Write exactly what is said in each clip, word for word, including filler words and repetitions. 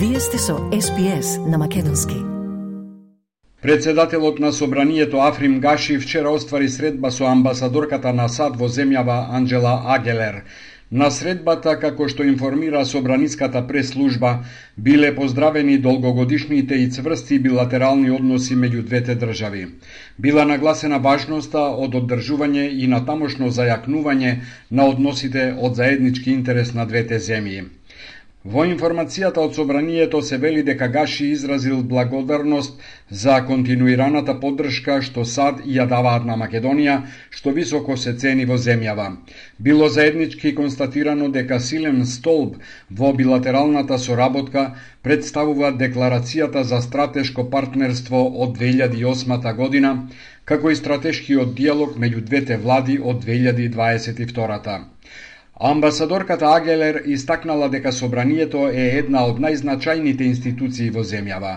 Вие сте со Ес Би Ес на македонски. Председателот на Собранието Африм Гаши вчера оствари средба со амбасадорката на САД во земјава Анџела Агелер. На средбата, како што информира Собраниската прес-служба, биле поздравени долгогодишните и цврсти билатерални односи меѓу двете држави. Била нагласена важноста од оддржување и натамошно зајакнување на односите од заеднички интерес на двете земји. Во информацијата од Собранието се вели дека Гаши изразил благодарност за континуираната поддршка што САД ја даваат на Македонија, што високо се цени во земјава. Било заеднички констатирано дека силен столб во билатералната соработка представува декларацијата за стратешко партнерство од две илјади и осма година, како и стратешкиот диалог меѓу двете влади од две илјади и дваесет и втора. Амбасадорката Агелер истакнала дека Собранието е една од најзначајните институции во земјава.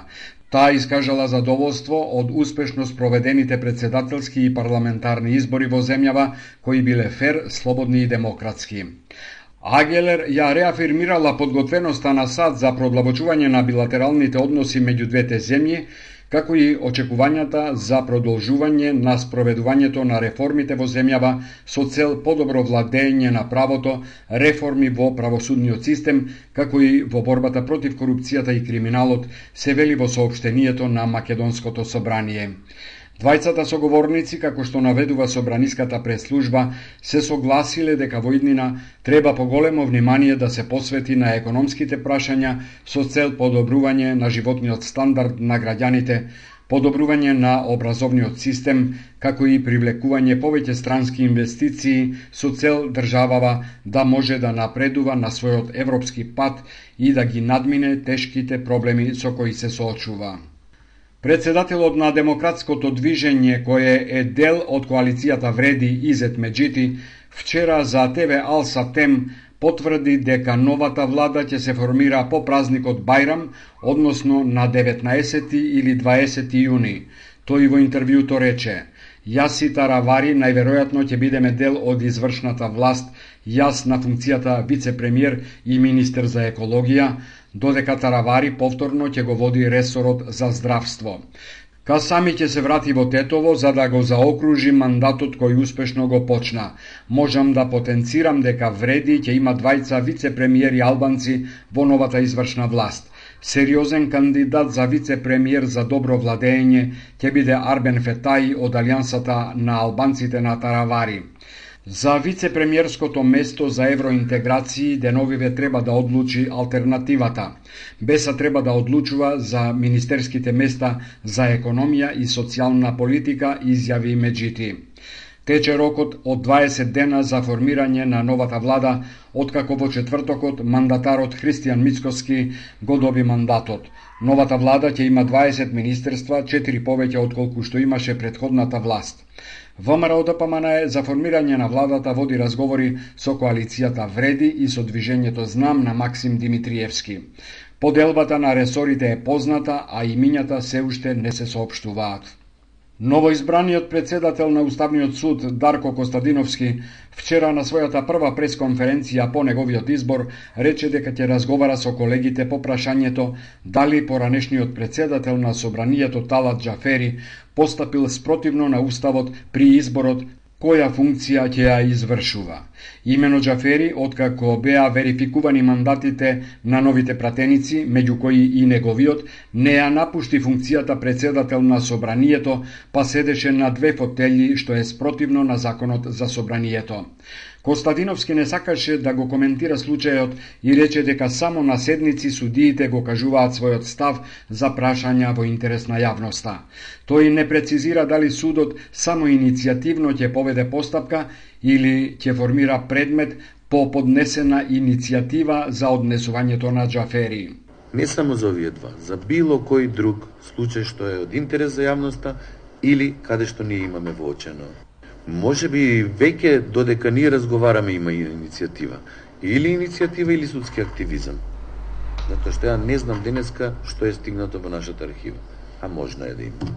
Таа искажала задоволство од успешно спроведените председателски и парламентарни избори во земјава, кои биле фер, слободни и демократски. Агелер ја реафирмирала подготвеноста на САД за продлабочување на билатералните односи меѓу двете земји, како и очекувањата за продолжување на спроведувањето на реформите во земјава со цел подобро владење на правото, реформи во правосудниот систем, како и во борбата против корупцијата и криминалот, се вели во соопштението на Македонското собрание. Двајцата соговорници, како што наведува Собраниската прес-служба, се согласиле дека во иднина треба поголемо внимание да се посвети на економските прашања со цел подобрување на животниот стандард на граѓаните, подобрување на образовниот систем, како и привлекување повеќе странски инвестиции со цел државава да може да напредува на својот европски пат и да ги надмине тешките проблеми со кои се соочува. Председателот на демократското движење, кое е дел од коалицијата Вреди Изет Меджити, вчера за Те Ве Ал Сатем потврди дека новата влада ќе се формира по празникот Бајрам, односно на деветнаесети или дваесети јуни. Тој во интервјуто рече: "Јас и Таравари најверојатно ќе бидеме дел од извршната власт, јас на функцијата вице-премиер и министер за екологија, додека Таравари повторно ќе го води ресорот за здравство. Касами ќе се врати во Тетово за да го заокружи мандатот кој успешно го почна. Можам да потенцирам дека Вреди ќе има двајца вице-премиери албанци во новата извршна власт. Сериозен кандидат за вице-премиер за добро владење ќе биде Арбен Фетаи од Алијансата на албанците на Таравари. За вице-премиерското место за евроинтеграции деновиве треба да одлучи алтернативата. Беса треба да одлучува за министерските места за економија и социјална политика, изјави Меджити. Тече рокот од дваесет дена за формирање на новата влада, откако во четвртокот мандатарот Христијан Мицкоски го доби мандатот. Новата влада ќе има дваесет министерства, четири повеќе отколку што имаше претходната власт. ВМРО Д П М Н за формирање на владата води разговори со коалицијата Вреди и со движењето Знам на Максим Димитриевски. Поделбата на ресорите е позната, а имињата се уште не се соопштуваат. Новоизбраниот председател на Уставниот суд Дарко Костадиновски вчера на својата прва пресконференција по неговиот избор рече дека ќе разговара со колегите по прашањето дали поранешниот председател на Собранието Талат Џафери постапил спротивно на уставот при изборот која функција ќе ја извршува. Имено Џафери, откако беа верификувани мандатите на новите пратеници, меѓу кои и неговиот, не ја напушти функцијата председател на Собранието, па седеше на две фотели, што е спротивно на законот за Собранието. Костадиновски не сакаше да го коментира случајот и рече дека само на седници судиите го кажуваат својот став за прашања во интерес на јавноста. Тој не прецизира дали судот само иницијативно ќе поведе постапка или ќе формира предмет по поднесена иницијатива за однесувањето на Џафери. Не само за овие два, за било кој друг случај што е од интерес за јавноста или каде што ние имаме воочено. Може би веќе додека ние разговараме има и иницијатива. Или иницијатива или судски активизам. Затоа што ја не знам денеска што е стигнато во нашата архива. А можно е да има.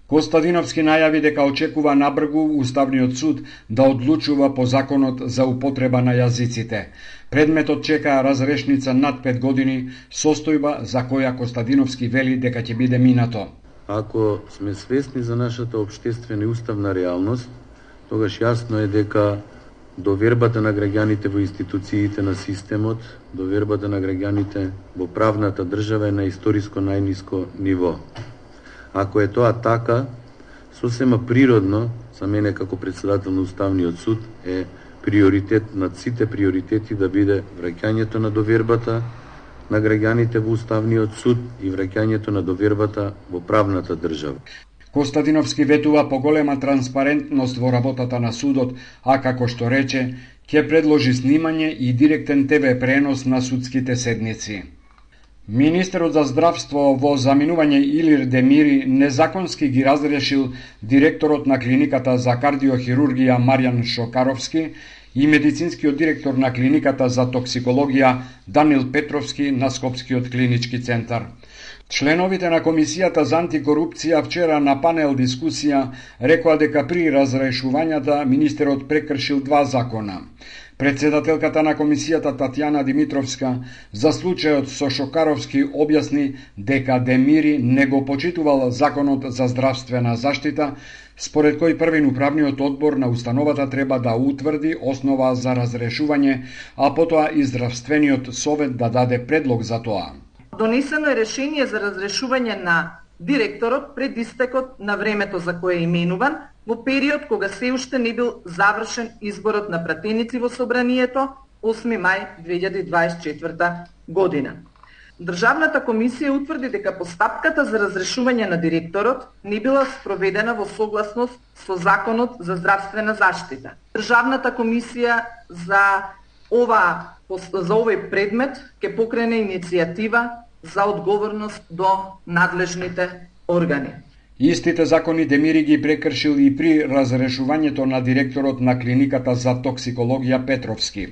Костадиновски најави дека очекува набргу Уставниот суд да одлучува по законот за употреба на јазиците. Предметот чека разрешница над пет години, состојба за која Костадиновски вели дека ќе биде минато. Ако сме свесни за нашата општествена и уставна реалност, тогаш јасно е дека довербата на граѓаните во институциите на системот, довербата на граѓаните во правната држава е на историско најниско ниво. Ако е тоа така, сосема природно, за мене како председател на Уставниот суд, е приоритет над сите приоритети да биде враќањето на довербата на граѓаните во Уставниот суд и враќањето на довербата во правната држава. Костадиновски ветува поголема транспарентност во работата на судот, а како што рече, ќе предложи снимање и директен те ве пренос на судските седници. Министерот за здравство во заминување Илир Демири незаконски ги разрешил директорот на клиниката за кардиохирургија Маријан Шокаровски и медицинскиот директор на клиниката за токсикологија Данил Петровски на Скопскиот клинички центар. Членовите на Комисијата за антикорупција вчера на панел дискусија рекоа дека при разрешувањата министерот прекршил два закона. Председателката на комисијата Татјана Димитровска за случајот со Шокаровски објасни дека Демири не го почитувал законот за здравствена заштита, според кој првин управниот одбор на установата треба да утврди основа за разрешување, а потоа и здравствениот совет да даде предлог за тоа. Донесено е решение за разрешување на директорот пред истекот на времето за кое е именуван, во период кога се уште не бил завршен изборот на пратеници во собранието осми мај две илјади дваесет и четврта година. Државната комисија утврди дека постапката за разрешување на директорот не била спроведена во согласност со Законот за здравствена заштита. Државната комисија за ова за овој предмет ќе покрене иницијатива за одговорност до надлежните органи. Истите закони Демири ги прекршил и при разрешувањето на директорот на клиниката за токсикологија Петровски.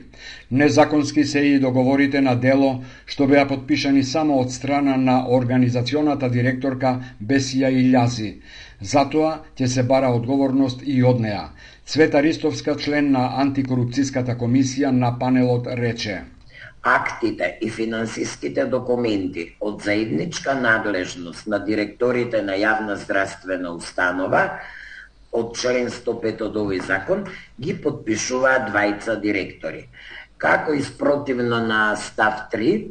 Незаконски се и договорите на дело што беа подпишани само од страна на организационата директорка Бесија Илјази. Затоа ќе се бара одговорност и од неа. Цвета Ристовска, член на антикорупцијската комисија на панелот, рече: Актите и финансиските документи од заедничка надлежност на директорите на јавна здравствена установа од член сто пет од овој закон ги подпишуваат двајца директори. Како и спротивно на став три,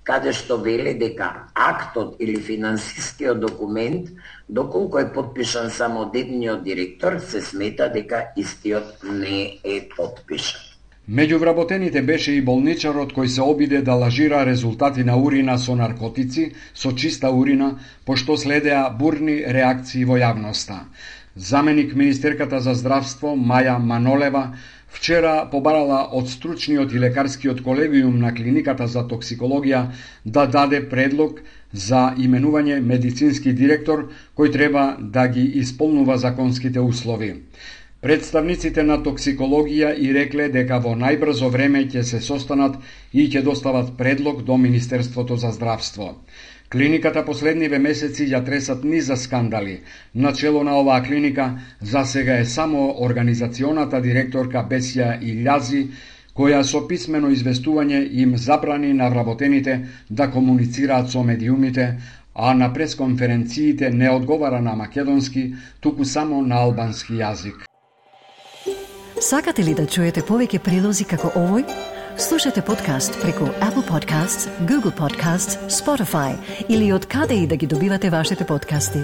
каде што вели дека актот или финансискиот документ, доколку е подпишан само од едниот директор, се смета дека истиот не е подпишан. Меѓу вработените беше и болничарот кој се обиде да лажира резултати на урина со наркотици, со чиста урина, пошто следеа бурни реакции во јавноста. Заменик министерката за здравство Маја Манолева вчера побарала од стручниот и лекарскиот колегиум на клиниката за токсикологија да даде предлог за именување медицински директор кој треба да ги исполнува законските услови. Представниците на токсикологија и рекле дека во најбрзо време ќе се состанат и ќе достават предлог до Министерството за здравство. Клиниката последниве месеци ја тресат низа скандали. Начело на оваа клиника за сега е само организационата директорка Бесија Илјази, која со писмено известување им забрани на вработените да комуницираат со медиумите, а на пресконференциите не одговара на македонски, туку само на албански јазик. Сакате ли да чуете повеќе прилози како овој? Слушате подкаст преку Apple Podcasts, Google Podcasts, Spotify или од каде и да ги добивате вашите подкасти.